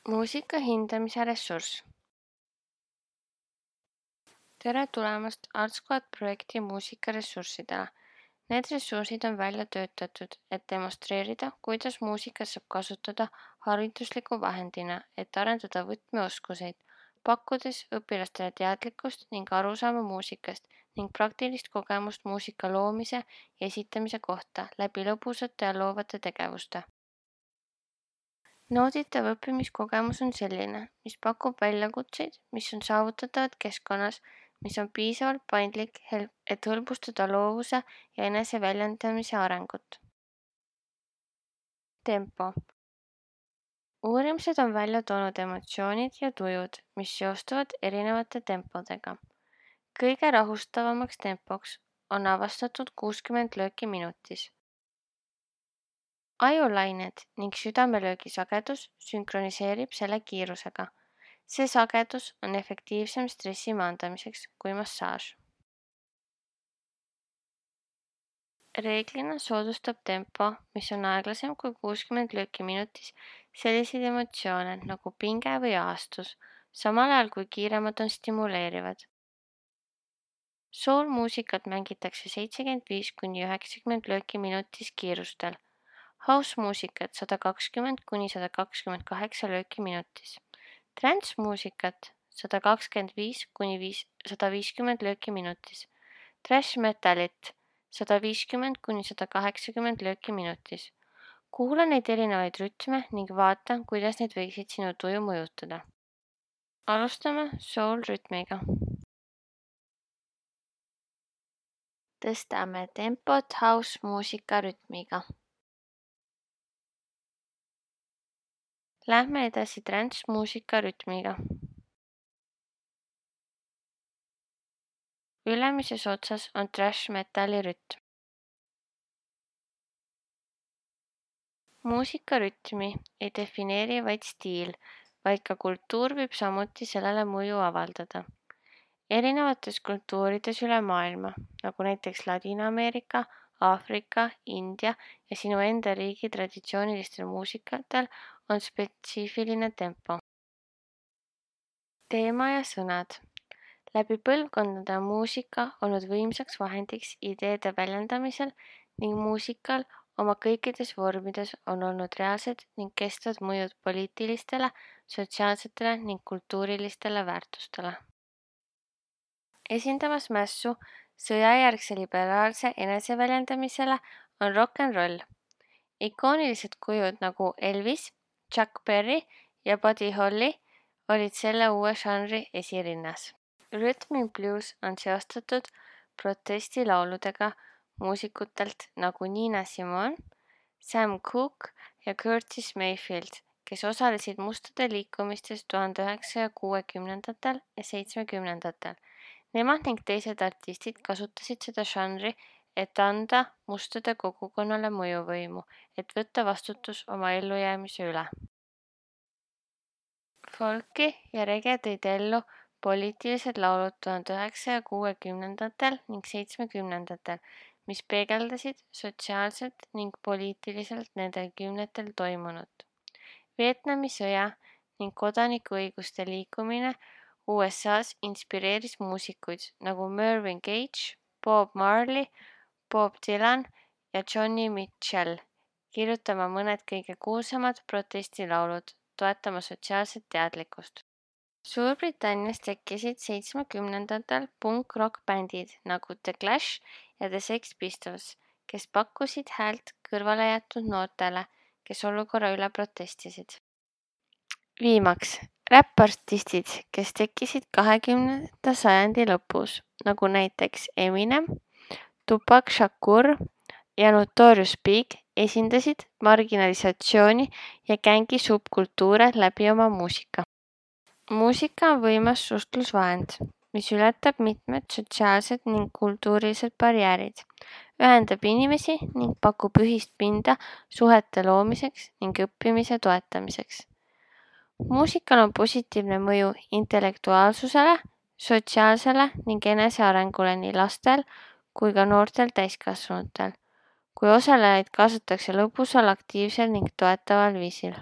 Muusika hindamise ressurss. Tere tulemast ArtSquad projekti muusikaressurssidele. Need ressursid on välja töötatud, et demonstreerida, kuidas muusikat saab kasutada haridusliku vahendina, et arendada võtmeoskuseid, pakkudes õpilastele teadlikkust ning arusaama muusikast ning praktilist kogemust muusika loomise ja esitamise kohta läbi lõbusate ja loovate tegevuste. Nauditav õppimiskogemus on selline, mis pakub väljakutseid, mis on saavutatavad keskkonnas, mis on piisavalt paindlik, et hõlbustada loovuse ja eneseväljendamise arengut. Tempo. Uurimused on välja toonud emotsioonid ja tujud, mis seostuvad erinevate tempodega. Kõige rahustavamaks tempoks on avastatud 60 lööki minutis. Ajulained ning südamelöögi sagedus sünkroniseerib selle kiirusega. See sagedus on efektiivsem stressi maandamiseks kui massaaž. Reeglina soodustab tempo, mis on aeglasem kui 60 lööki minutis, selliseid emotsioone nagu pinge või ahastus, samal ajal kui kiiremad on stimuleerivad. Soul-muusikat mängitakse 75–90 lööki minutis kiirustel. House-muusikat 120–128 lööki minutis. Trance-muusikat 125–150 lööki minutis. Thrash metalit 150–180 lööki minutis. Kuula neid erinevaid rütme ning vaata, kuidas need võiksid sinu tuju mõjutada. Alustame soul-rütmiga. Tõstame tempot house-muusika rütmiga. Lähme edasi trance-muusika rütmiga. Ülemises otsas on thrash metali rütm. Muusika rütmi ei defineeri vaid stiil, vaid ka kultuur võib samuti sellele mõju avaldada. Erinevates kultuurides üle maailma, nagu näiteks Ladina-Ameerika, Aafrika, India ja sinu enda riigi traditsioonilistel muusikatel on spetsiifiline tempo. Teema ja sõnad. Läbi põlvkondade on muusika olnud võimsaks vahendiks ideede väljendamisel ning muusikal oma kõikides vormides on olnud reaalsed ning kestvad mõjud poliitilistele, sotsiaalsetele ning kultuurilistele väärtustele. Esindamas mässu sõjajärgse liberaalse eneseväljendamisele on rock n roll. Ikoonilised kujud nagu Elvis, Chuck Berry ja Buddy Holly olid selle uue žanri esirinnas. Rhythm and blues on seostatud protestilauludega muusikutelt nagu Nina Simone, Sam Cooke ja Curtis Mayfield, kes osalesid mustade liikumistes 1960ndatel ja 70ndatel. Nemad ning teised artistid kasutasid seda žanri, et anda mustade kogukonnale mõjuvõimu, et võtta vastutus oma ellujäämise üle. Folki ja rege tõid ellu poliitilised laulud 1960ndatel ning 70ndatel, mis peegeldasid sotsiaalselt ning poliitiliselt nendel kümnetel toimunut. Vietnami sõja ning kodanikuõiguste liikumine USA's inspireeris muusikuid nagu Mervyn Gage, Bob Marley, Bob Dylan ja Johnny Mitchell, kirjutama mõned kõige kuulsamad protestilaulud, toetama sotsiaalset teadlikkust. Suurbritannias tekkisid 70ndatel punk-rock-bändid nagu The Clash ja The Sex Pistols, kes pakkusid häält kõrvale jäetud noortele, kes olukorra üle protestisid. Viimaks, räppartistid, kes tekkisid 20. sajandi lõpus, nagu näiteks Eminem, Tupac Shakur ja Notorious Big, esindasid marginalisatsiooni ja gängi subkultuure läbi oma muusika. Muusika on võimas suhtlusvahend, mis ületab mitmed sotsiaalsed ning kultuurilised barjäärid, ühendab inimesi ning pakub ühist pinda suhete loomiseks ning õppimise toetamiseks. Muusikal on positiivne mõju intellektuaalsusele, sotsiaalsele ning enesearengule nii lastel kui ka noortel täiskasvanutel, kui osalejaid kaasatakse lõbusal, aktiivsel ning toetaval viisil.